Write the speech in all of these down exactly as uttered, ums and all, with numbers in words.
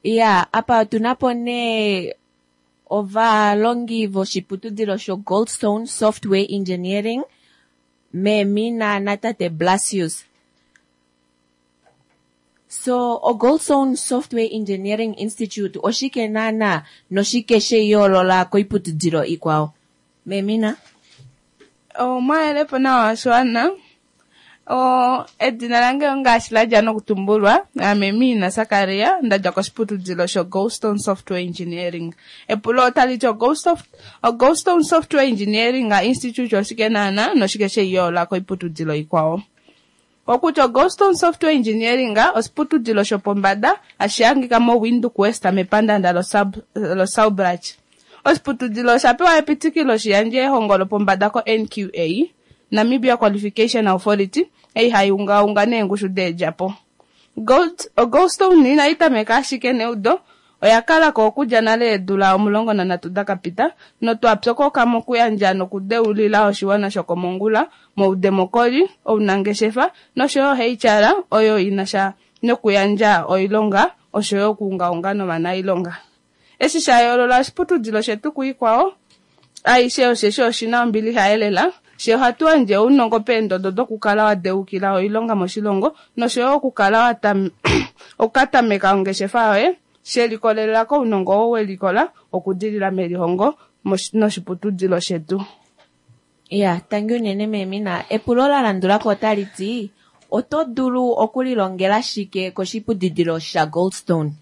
Iya, apa otuna po nee ovalongi voshiputudilo sho Goldstone Software Engineering, Memina natate Blasius. So, oGoldstone Software Engineering Institute oshike naana noshike sheyoolola koiputudilo ikwao? Memina? Omwahelepo nawa oshiwana. O edina lange ongaashi ladja nokutumbulwa, ame Mina Sakaria, ndadja koshiputudilo sho Goldstone Software Engineering. Epulo otali ti oGoldstone Software Engineering Institute oshike naana noshike sheyoolola koiputudilo ikwao? Okutya oGoldstone Software Engineering oshiputudilo shopombada hashi hangika moWindhoek West mepandanda loSaubrach. Oshiputudilo osha pewa epitikilo shiyandje ehongo lopombada ko N Q A, Namibia Qualification Authority, ei hai ungaunga neengushu deedjapo. OGoldstone inai tameka ashike neudo, oya kala ko okudja nale eedula omulongo nanhatu dakapita notwa pyokoka mokuyandja nokudeulila oshiwana shokomongula moudemokoli, ounangeshefa noshoyo H R oyo inasha nokuyandja oilonga oshoyo okuungaunga novanailonga. Eshi sha yoolola oshiputudilo shetu kuikwao aishe osheshi oshina ombilixa elela, she ohatu yandje ounongo peendodo dokukala wa deukila oilonga moshilongo noshoyo okukala okukatameka ongeshefa yoye shelikolelela kounongo oo welikola okudilila melihongo noshiputudilo shetu. Ya, tangi unene Memina. Epulo la landulako otali ti, oto dulu okulilongela shike koshiputudilo shaGoldstone?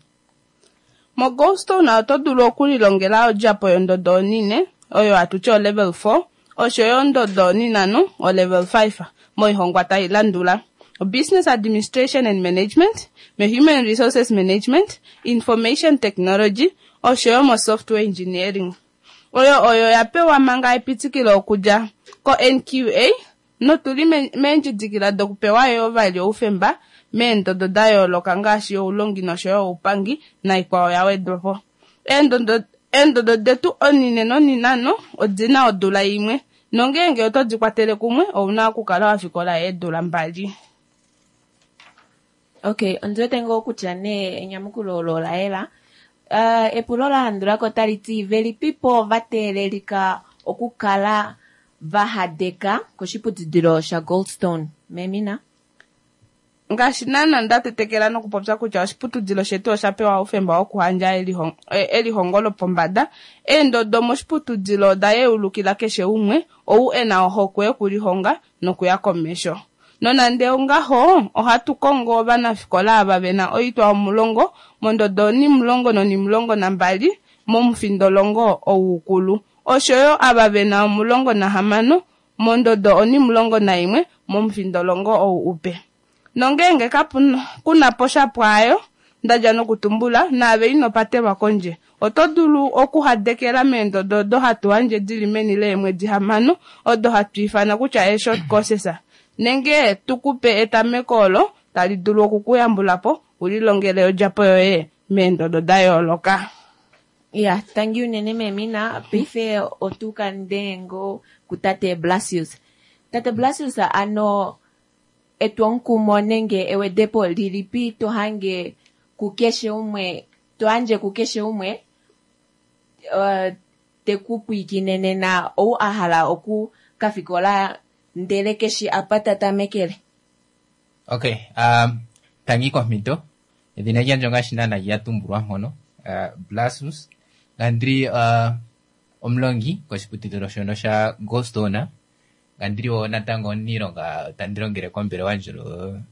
MoGoldstone oto dulu okulilongela odjapo yondodo onine, oyo hatu ti olevel four, oshoyo ondodo oninano, olevel five, moihongwa tai landula: Business Administration and Management, Human Resources Management, Information Technology, oshoyo mo Software Engineering. Oyo oyo ya pewa manga epitikilo okudja ko N Q A notuli meendjidikila dokupewa yoo vali oufemba meendodo da yooloka ngaashi oulongi noshoyo oupangi naikwao ya wedwapo. Eendodo detu onine noninano odina odula imwe, nongeenge oto di kwatele kumwe ouna okukala wafikola eedula mbali. Okay, ondiwete ngoo kutya nee enyamukulo olo ola yela. Uh, epulo la landulako otali ti, velipipo va teelelika okukala va hadeka koshiputudilo shaGoldstone? Memina? Ngaashi naana nda tetekela nokupopya kutya oshiputudilo shetu osha pewa oufemba wokuhandja elihongo lopombada, eendodo moshiputudilo oda yeulukila keshe umwe ou ena ohokwe yokulihonga nokuya komesho. Nonande ongaho, ohatu kongo ovanafikola ava vena oitwa omulongo mondodo onimulongo nonimulongo nambali momufindolongo ou ukulu, oshoyo ava vena omulongo nahamano mondodo onimulongo naimwe momufindolongo ou upe. Nongeenge kuna po sha pwaayo ndadja nokutumbula, naave ino patelwa kondje. Oto dulu okuhadekela meendodo odo hatu yandje dili meni leemwedi hamano, odo hatu ifana kutya ee-short courses, nenge tukupe etameko olo tali dulu okukuyambula po ulilongele odjapo yoye meendodo da yooloka. Ya, tangi unene Memina. Paife otuka ndengo kutate Blasius. Tate Blasius, ano etwomukumo nenge ewedepo lilipi to hange kukeshe umwe, to yandje kukeshe umwe uh, te ku pwiikine nena ou a hala oku kafikola ndele keshi apa ta tamekele? Okay, um, tangi komhito. Edhina lyandje ongaashi naana lya tumbulwa mpono, uh, Blasius. Ngandili uh, omulongi koshiputudhilo shono sha Goldstone. Ngandili wo natango omuniilonga tandi longele kombelewa ndjono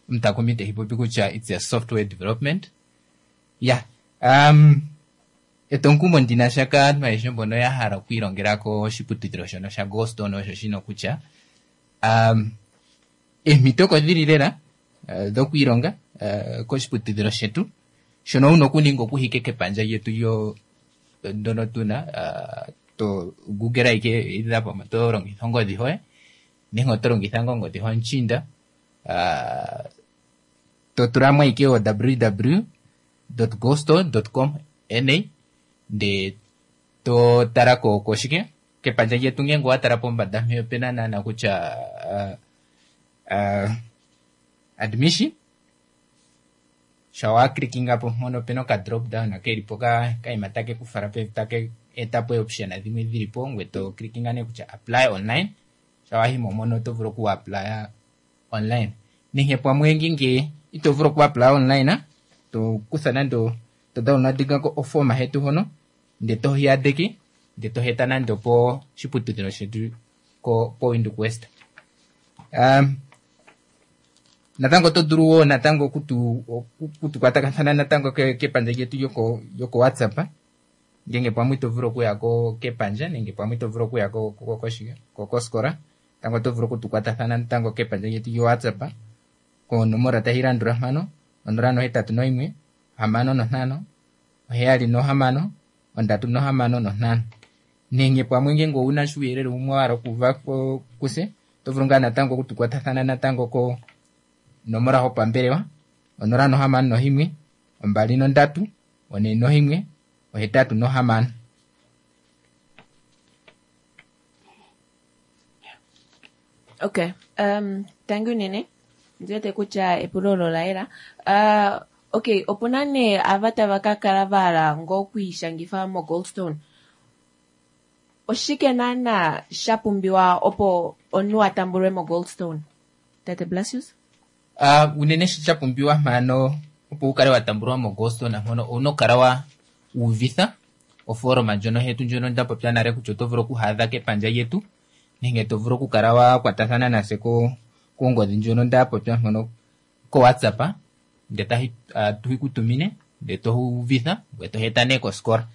omutakumi tehi popi kutya it's a software development. Yeah. Um, etwomukumo ndina sha kaantu ayehe mbono ya hala okwiilongela koshiputudhilo shono sha Goldstone osho shino kutya um, eemhito oko dhili lela uh, dhokwiilonga uh, koshiputudhilo shetu. Shono wuna okuninga okuhika kepandja lyetu lyo ndono tuna uh, to google ike either pamwe oto longitha ongodhi hoye nenge oto longitha ngoo ongodhi homushinda, uh, to tulamo ike o w w w dot goldstone dot com na nde to tala ko koshike kepandja lyetu. Ngenge owa tala pombada mpeya opena naana kutya uh, uh, admission Sha wa clickinga po mpono opena oka drop down keli po ka kaima take ku fala pevi take eta po option dhimwe dhili po ngwe to clickinga nee kutya apply online. Sha wahimo mono oto vulu oku applya online. Nenge pamwe ngenge ito vulu oku apply online, to kutha nande to downloadinga ko oforma hetu hono nde to hiyadeke nde to heta nande opo shiputudhilo shetu ko po Windhoek West. Um, natango oto dulu wo natango okutu okutukwatathana natango kepandja lyetu lyoko lyoko WhatsApp ngenge pamwe ito vulu okuya ko kepandja nenge pamwe ito vulu okuya ko ko koskola, natango oto vulu okutukwatathana natango kepandja lyetu lyo WhatsApp konomola tayi landula mpano onola nohetatu noyimwe hamano nontano oheyali nohamano ondatu nohamano nontano. Nenge pamwe ngenge owuna uuyelele wumwe wa hala okuuva kuse, oto vulu ngaa natango okutukwatathana natango ko nomola hopambelewa onola nohamano nohimwe ombali nondatu one nohimwe ohetatu nohamano. Okay, um, thank you nene. Ndiwete kutya epulo olo ola yela. Uh, okay, opuna nee ava tava ka kala va hala ngoo okwiishangifa moGoldstone. Oshike naana sha pumbiwa opo omunhu a tambulwe moGoldstone? Tate Blasius? Uh, unene shi sha pumbiwa mpano opo wu kale wa tambulwa moGoldstone mpono owuna okukala wa uvitha oforoma ndjono hetu ndjono nda popya nale kutya oto vulu okuhaadha kepandja lyetu nenge to vulu okukala wa kwatathana nase ko kongodhi ndjono nda popya mpono ko WhatsApp nde tahi uh, tuhi kutumine nde to uvitha ngwe to heta nee koskola.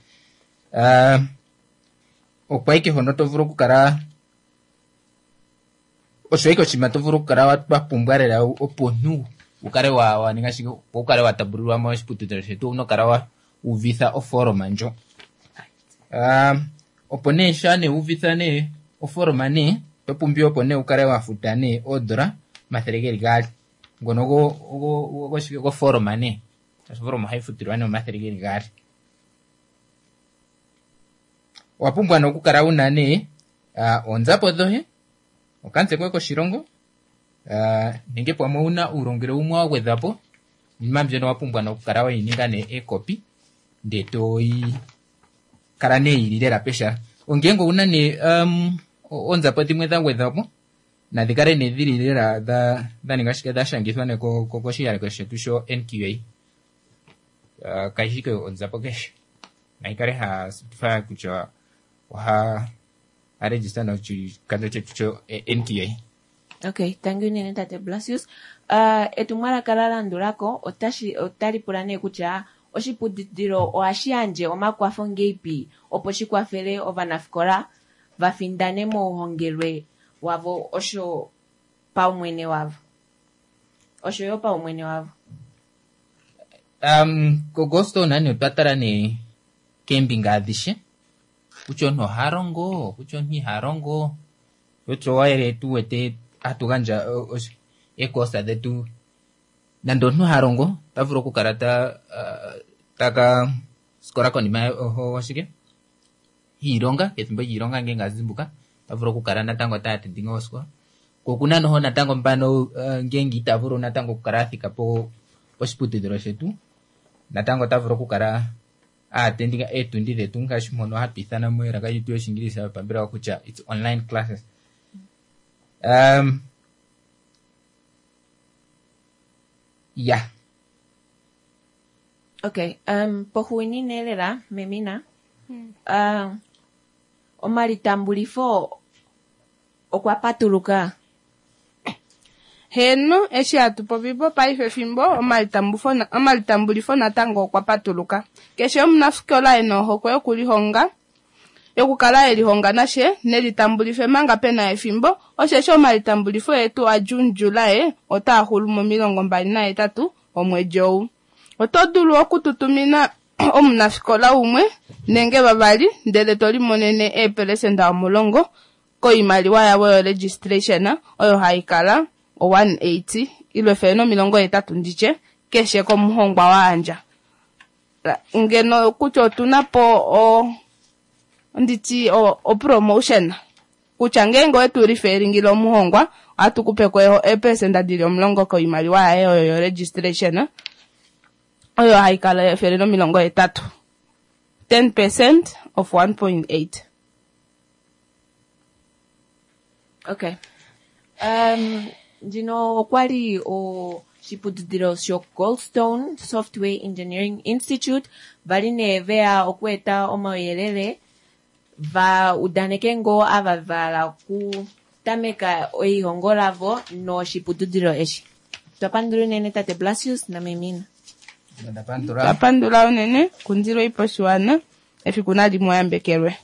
Uh, okwa ike hono to vulu okukala osho ike oshinima to vulu okukala wa pumbwa lela opo omuntu wu kale wa wa ninga shike opo wu kale wa tambulilwa moshiputudhilo shetu owuna okukala wa uvitha oforoma ndjo. Um, opo nee sha nee uvitha nee oforoma nee oto pumbiwa opo nee wu kale wa futa nee oodola omathele geli gaali ngono go go go goforoma nee oforoma ohayi futilwa nee omathele geli gaali. Owa pumbwa nee okukala wuna nee uh, oonzapo dhoye, okamutse koye koshilongo, uh, nenge pamwe owuna uulongelwe wumwe wa gwedhwapo, iinima mbyono owa pumbwa nokukala weyi ninga nee ekopi nde toyi kala nee yili lela peshala. Ongenge owuna nee um, oonzapo dhimwe dha gwedhwapo nadhi kale nee dhili lela dha dha ninga shike dha shangithwa nee koshiyaleko shetu sho N Q A. Uh, kayishi ke onzapo keshe nayi kale ha certify kutya oha a register noshikandjo chetu sho N Q A. Okay, thank you nene Tate Blasius. Uh, etumwalaka la landulako otashi otali pula nee kutya oshiputudhilo ohashi yandje omakwafo ngeipi opo shi kwafele ovanafikola va findane mouhongelwe wavo osho paumwene wavo. Osho yo paumwene wavo. Um, koGoldstone nani otwa tala nee keembinga adhishe kutya omuntu oha longo, kutya omuntu iha longo, kutya owayele tu wete hatu gandja eekosa dhetu. Nande omuntu ha longo ota vulu okukala ta uh, taka skola konima oshike iilonga pethimbo lyiilonga ngenge a zimbuka ota vulu okukala natango ta atendinga oskola. Ko okuna noho natango mpano uh, ngenge ita vulu natango okukala a thika po poshiputudhilo shetu, natango ota vulu okukala a atendinga eetundi dhetu ngaashi mpono hatu ithana melaka lyetu yOshingilisa yopambelewa kutya it's online classes. Um, yeah. Okay, um, poxuuninwa lela Memina, hmm. uh, omalitambulifo okwa patuluka. Heno, eshi hatu popipo paife fimbo omalitambulifo natango okwa patuluka. Keshe omunafikola ena ohokwe yokulihonga, yokukala elihonga nashe nelitambulife manga pena efimbo, osheshi omalitambulifo etu a June July otaa xulu momilongo mbali nahetatu omwedi ou. Oto dulu okututumina omunafikola umwe nenge vavali ndele to limonene eepelesenda omulongo koimaliwa yavo yo registration oyo hayi kala o one eighty ile efele nomilongo hetatu nditye keshe komuhongwa waandja. Ngeno kutya otuna po o nditi o, o promotion kutya ngenge wetu referringile omuhongwa ohatu kupe ko eepelesenda dili omulongo koimaliwa yaye oyo yo registration. Oyo haikala efele nomilongo hetatu. Ten percent of one point eight. Okay. Um, ndino okwali oshiputudhilo sho Goldstone Software Engineering Institute vali nee veya okweeta omauyelele va udaneke ngoo ava vala okutameka eihongo lavo noshiputudhilo eshi. Twapandula unene tate Blasius naMemina. Ndapandula. Twapandula unene kundilwe ipo oshiwana efiku nali mu yambekelwe.